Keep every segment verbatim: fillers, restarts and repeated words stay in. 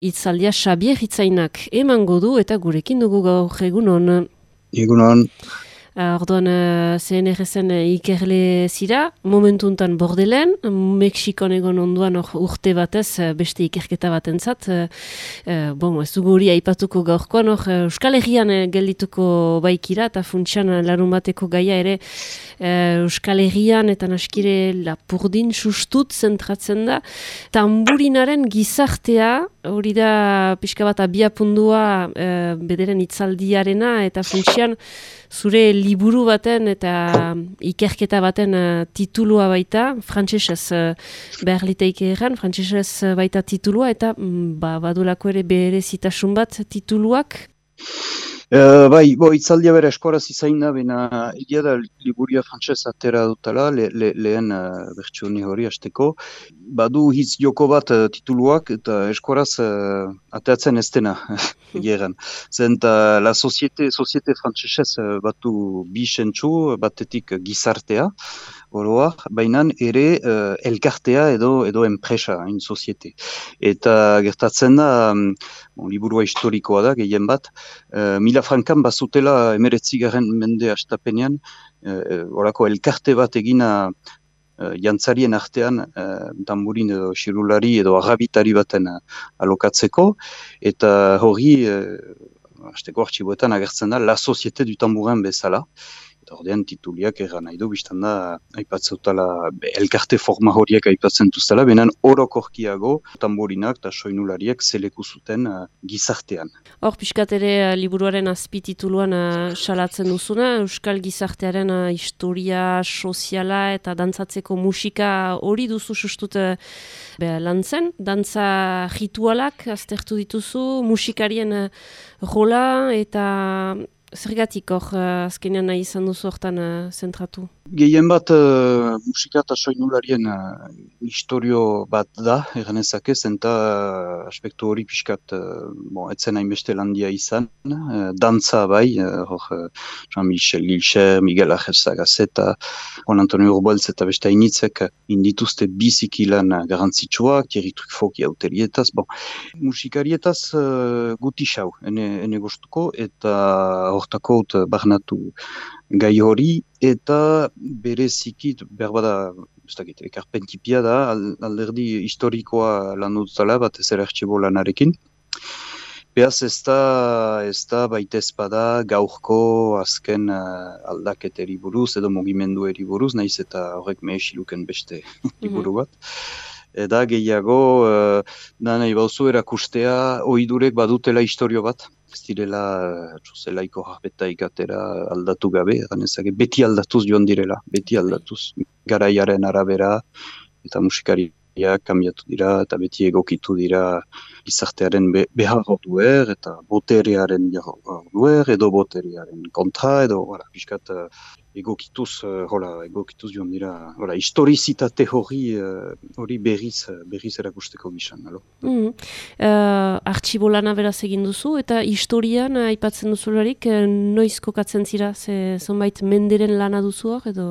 Itzaldia Xabier Hitzainak emango du eta gurekin dugu gaur egunon. Egunon. Orduan, uh, C N R S-en ikerle zira, momentuntan Bordelen, Mexikon egon onduan or, urte batez beste ikerketa batentzat. Uh, uh, bon, ez dugu hori aipatuko gaurkoan, or, Euskal Herrian geldituko baikira, eta funtsian larun bateko gaia ere uh, Euskal Herrian eta naskire Lapurdin sustut zentratzen da. Tamburinaren gizartea, hori da pixka bat abiapundua uh, bederen itzaldiarena, eta funtsian zure liburu baten eta ikerketa baten uh, titulua baita, frantsesez uh, behar liteike erran, frantsesez baita titulua, eta mm, ba, badulako ere berezitasun bat tituluak? Uh, bai, bo, itzaldia bera eskoraz izain da, bena egia da liburia frantsez atera dutala, le, le, lehen uh, bertsioni hori hasteko. Badu hitz joko bat uh, tituluak, eta eskoraz uh, ateratzen ez dena, egeran. Zenta la societe, societe frantsesez uh, batu bi sentsu, batetik gizartea, oroa, baina ere uh, elkartea edo edo enpresa, hain societe. Eta gertatzen da, um, bon, liburua historikoa da, gehien bat, uh, mila frankan bazutela emeretzigaren mende astapenean, uh, orako elkarte bat egina uh, jantzarien artean, uh, tamburin edo xirulari edo agabitari baten uh, alokatzeko, eta hori, uh, hasteko artxiboetan agertzen da, la societe du tambourin bezala. Eta ordean tituliak erran nahi du, biztan da, aipatzeutala, elkarte forma horiek aipatzen duztela, benen orokorkiago tamburinak eta soinulariak zeleku zuten uh, gizartean. Hor, pixkat ere uh, liburuaren azpitituluan uh, salatzen duzuna, Euskal gizartearen uh, historia soziala eta dantzatzeko musika hori duzu sustut uh, lan zen, dantza ritualak aztertu dituzu, musikarien uh, rola eta zergatik hor uh, azkenean nahi izan duzu hortan uh, zentratu? Gehien bat uh, musika eta soinularien uh, historio bat da, eganezake, zenta uh, aspektu hori pixkat, uh, bon, etzen hainbeste landia izan, uh, dantza bai, uh, hor uh, Jean-Michel Gilcher, Miguel Ángel Sagazeta, Juan Antonio Urbaltz eta beste hainitzek indituzte biziki lan uh, garantzitsuak, Thierry Truffaut auterietaz, bon, musikarietaz uh, guti xau, ene, ene gustuko, eta hortako uh, barnatu gai hori, eta bereziki, berbada, ez dakit, ekarpentipia da, alderdi historikoa lan dutala, bat ez erartxibo lanarekin. Beaz ez da, ez da baita ezpada gaurko azken uh, aldaketeri buruz, edo mugimendueri buruz, naiz eta horrek mehesiluken beste liburu bat. Eda gehiago, uh, da nahi bauzu erakustea, oidurek badutela historio bat. Ez direla, zelaiko jarbeta ikatera aldatu gabe, ganezake, beti aldatuz joan direla, beti aldatuz. Garaiaren arabera eta musikariak kambiatu dira eta beti egokitu dira gizartearen be, behar duer eta boterearen duer edo boterearen kontra edo wala, piskat uh, egokituz, uh, hola, egokituz joan dira, hola, historizitate hori, uh, hori berriz, berriz erakusteko gizan, alo? Mm. Uh, Artxibolana beraz egin duzu, eta historian uh, aipatzen duzularik, uh, noiz kokatzen zira, ze zonbait menderen lana duzu hor, edo?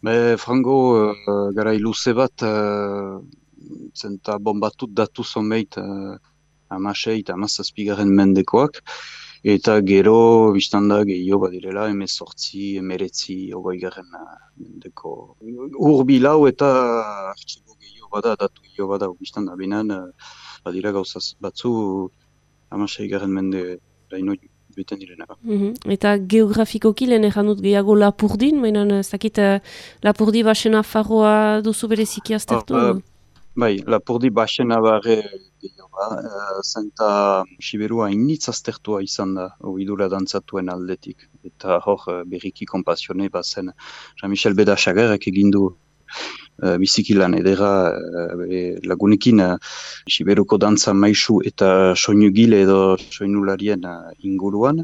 Be, frango, uh, garai luze bat, uh, zenta bombatut datu zonbait uh, amasei eta amazazpigaren mendekoak, eta gero, biztanda gehiago badirela, emezortzi, emeretzi, ogoi-garen mendeko. Urbilau eta artxibo gehiago bada, datu gehiago bada, biztanda binan, uh, badira gauzaz batzu, amasei garen mende daino beten direnak. Mm-hmm. Eta geografikoki lehen egan dut gehiago Lapurdin, mainan ez dakit uh, Lapurdi basena farroa duzu bereziki aztertu? Oh, uh, bai, Lapurdi basena barre gehiago, uh, zenta Siberua initz aztertua izan da, oidura dantzatuen aldetik. Eta hor uh, berriki konpasione bazen Jean-Michel Bedasagerrek egindu Uh, biziki lan edera uh, lagunekin uh, Siberuko dantza maisu eta soinugile edo soinularien uh, inguruan.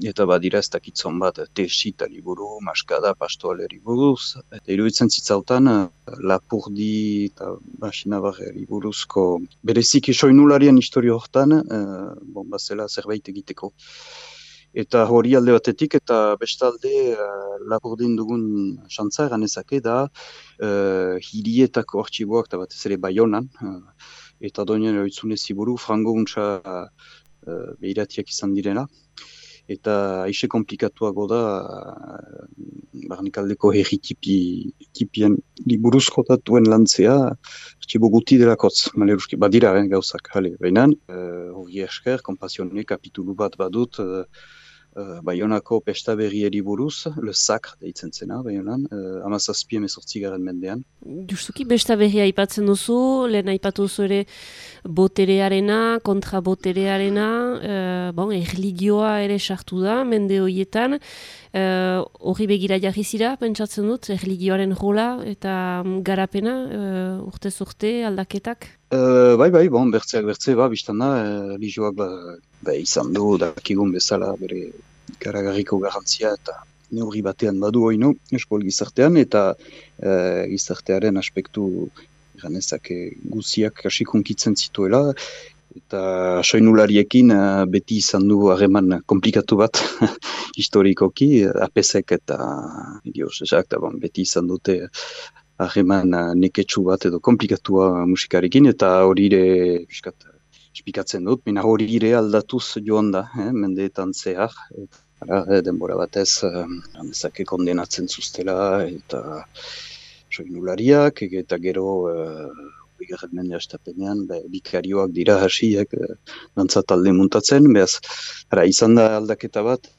Eta badira ez dakitzon bat tesi eta liburu, maskada, pastoaleri buruz. Eta iruditzen zitzautan uh, Lapurdi eta Basinabarri buruzko bereziki soinularien historio hortan, uh, bon, bazela zerbait egiteko. Eta hori alde batetik, eta bestalde uh, Lapurdin dugun xantza ganezake da uh, hirietako artxiboak eta batez ere Baionan, uh, eta doinen eroitzune ziburu, frango untsa uh, behiratiak izan direna. Eta aixe komplikatuago da, uh, barnikaldeko herri tipien liburuzko datuen lantzea, artxibo guti delakotz, maleruski, badira eh, gauzak, hale, behinan, hori uh, esker, kompasione kapitulu bat badut, uh, Uh, Baionako pesta berrieri buruz, le sacre deitzen zena, Baionan, uh, amazazpi emezortzigaren mendean. Justuki besta berria aipatzen duzu, lehen aipatu duzu ere boterearena, kontra boterearena, uh, bon, erligioa ere sartu da, mende horietan, horri uh, begira jarri zira, pentsatzen dut, erligioaren rola eta garapena, uh, urtez urte, aldaketak? Uh, bai, bai, bon, bertzeak bertze, ba, biztan da, religioak ba, ba, izan du, dakigun bezala bere garagarriko garantzia eta neurri batean badu oinu, eskol gizartean, eta uh, gizartearen aspektu ganezak guziak asikunkitzen zituela, eta soinulariekin uh, beti izan du harreman komplikatu bat historikoki, apesek eta idioz, ezak, bon, beti izan dute harreman neketsu bat edo komplikatua musikarekin, eta hori ere espikatzen dut, mina hori ere aldatuz joan da, eh, mendeetan zehar, eta eh, denbora batez, eh, kondenatzen zuztela, eta soinulariak, eta gero, eh, bigarren mende astapenean, bikarioak dira hasiek, eh, dantza talde muntatzen, behaz, ara, izan da aldaketa bat,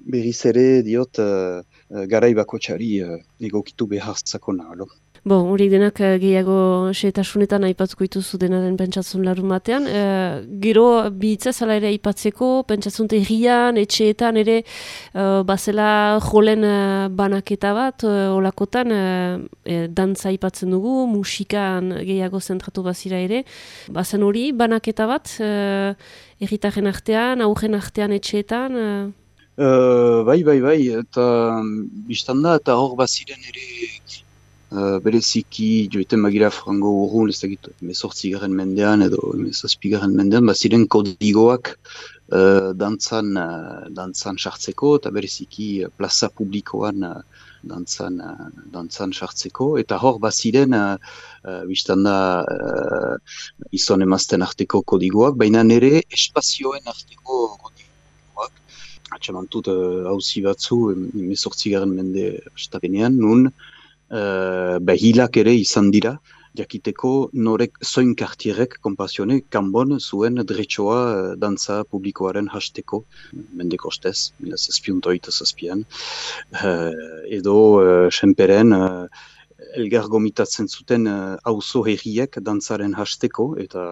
berriz ere diot, uh, garai bakotxari uh, egokitu behartzako nahalo. Bon, hori denak gehiago xeetasunetan aipatzuko dituzu denaren pentsatzen larun batean. E, gero bihitzaz ala ere aipatzeko, pentsatzen herrian, etxeetan ere, e, bazela jolen banaketa bat, e, olakotan, e, dantza aipatzen dugu, musikan gehiago zentratu bazira ere. Bazen hori, banaketa bat, e, herritaren artean, aurren artean etxeetan, e, Uh, bai, bai, bai, eta biztan da, eta hor baziren ere uh, bereziki joiten bagira frango urrun, ez dakit, emezortzigaren mendean edo emezazpigaren mendean, baziren kodigoak uh, dantzan, uh, dantzan sartzeko, eta bereziki uh, plaza publikoan uh, dantzan, uh, dantzan sartzeko, eta hor baziren uh, uh, biztan da uh, izon emazten arteko kodigoak, baina nere espazioen arteko kodigoak, atxamantut hauzi uh, batzu, emezortzigaren mende estapenean, nun uh, behilak ere izan dira, jakiteko norek zoin kartierek konpazione kanbon zuen dretxoa uh, dantza publikoaren hasteko, mendeko ostez, mila zazpiuntoita zazpian, uh, edo uh, senperen, uh, elgar gomitatzen zuten auzo uh, herriek dantzaren hasteko, eta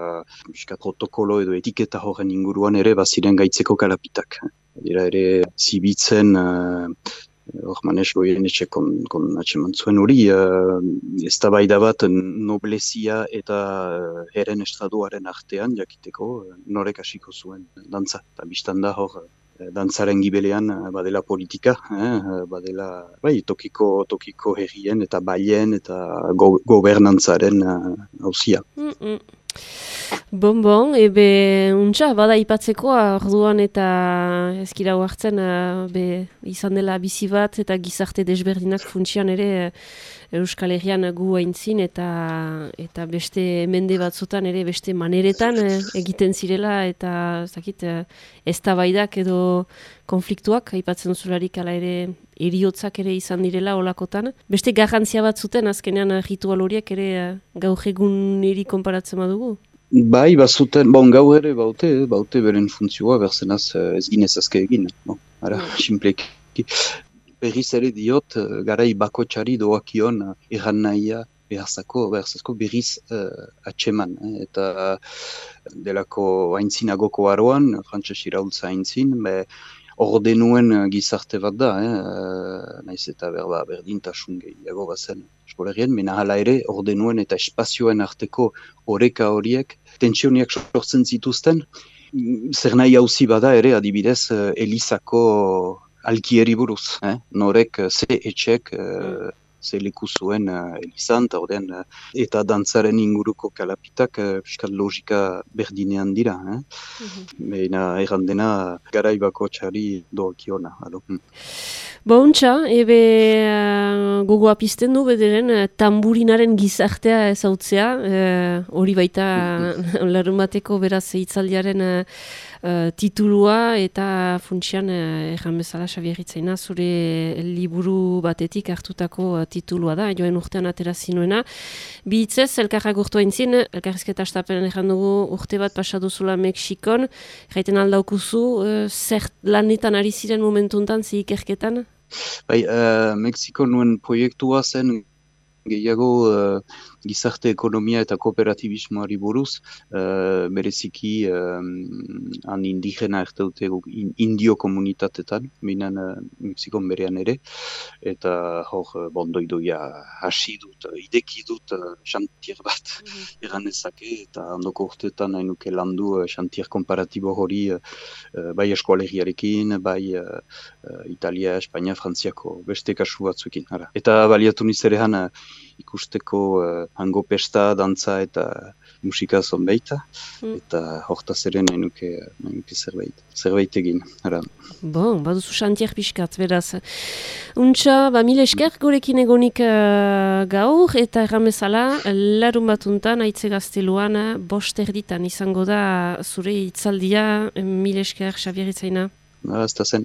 biska protokolo edo etiketa horren inguruan ere baziren gaitzeko kalapitak. Dira ere zibitzen, hor uh, manes goien etxe kon, kon atxeman zuen hori, uh, ez da baida bat noblezia eta uh, heren estraduaren artean jakiteko uh, norek hasiko zuen dantza. Eta biztan da hor, uh, dantzaren gibelean uh, badela politika, eh, badela bai, tokiko, tokiko herrien eta baien eta go, gobernantzaren hauzia. Uh, mm -mm. Bon, bon, ebe untxa, bada ipatzeko orduan eta ezkira hartzen be izan dela bizi bat eta gizarte desberdinak funtsian ere Euskal Herrian gu aintzin eta eta beste mende batzutan ere beste maneretan egiten zirela eta zakit eztabaidak edo konfliktuak aipatzen zularik ala ere eriotzak ere izan direla olakotan. Beste garrantzia bat zuten azkenean ritual horiek ere gaur egun niri konparatzen badugu. Bai, bazuten, bon, gau ere baute, baute beren funtzioa, berzenaz ez ginez azke egin. Bon, ara, mm. Simpleki. Berriz ere diot, garai bakotxari doakion erran nahia beharzako, beharzako berriz uh, atxeman. Eh? Eta delako haintzinagoko aroan, frantses iraultza haintzin, be, ordenuen gizarte bat da, eh? Naiz eta berba berdintasun gehiago bazen eskolerien, mena hala ere ordenuen eta espazioen arteko oreka horiek tentsioniak sortzen zituzten, zer nahi hauzi bada ere adibidez Elizako alkieri buruz, eh? Norek ze etxek uh, ze leku zuen uh, elizan, eta ordean, uh, eta dantzaren inguruko kalapitak uh, piskat logika berdinean dira. Eh? Mm-hmm. Beina errandena garaibako txari doakiona. Hmm. Bontxa, ebe uh, gogoa pizten du bederen uh, tamburinaren gizartea ezautzea, hori uh, baita mm-hmm. larun bateko beraz hitzaldiaren uh, uh, titulua eta funtsian uh, erran bezala Xabier Itzaina zure liburu batetik hartutako uh, titulua da, joen urtean atera zinuena. Bi hitzez, elkarra gurtu haintzin, elkarrizketa astapen erran dugu urte bat pasaduzula Mexikon, jaiten aldaukuzu, uh, zer lanetan ari ziren momentuntan, zi ikerketan? Bai, uh, Mexiko nuen proiektua zen gehiago uh, gizarte ekonomia eta kooperatibismoari buruz, uh, bereziki um, han indigena erteute in, indio komunitatetan, minan uh, Mexikon berean ere, eta hor uh, bondoidoia hasi dut, ideki dut uh, xantier bat mm-hmm. eran ezake, eta handoko urteetan nahi nuke landu uh, xantier komparatibo hori uh, bai eskualegiarekin, bai uh, uh, Italia, Espainia, Frantziako beste kasu batzuekin. Ara. Eta baliatu nizerean uh, ikusteko uh, hango pesta, dantza eta musika zonbeita, mm. eta hortaz ere nahi nuke, nahi nuke zerbait, zerbait egin. Ara. Bon, baduzu xantier pixkat, beraz. Untxa, ba, mila esker gurekin egonik uh, gaur, eta erramezala, larun batuntan, aitze gazteluan, bost erditan izango da zure hitzaldia, mila esker, Xabier Itzaina. Ba, ez da zen.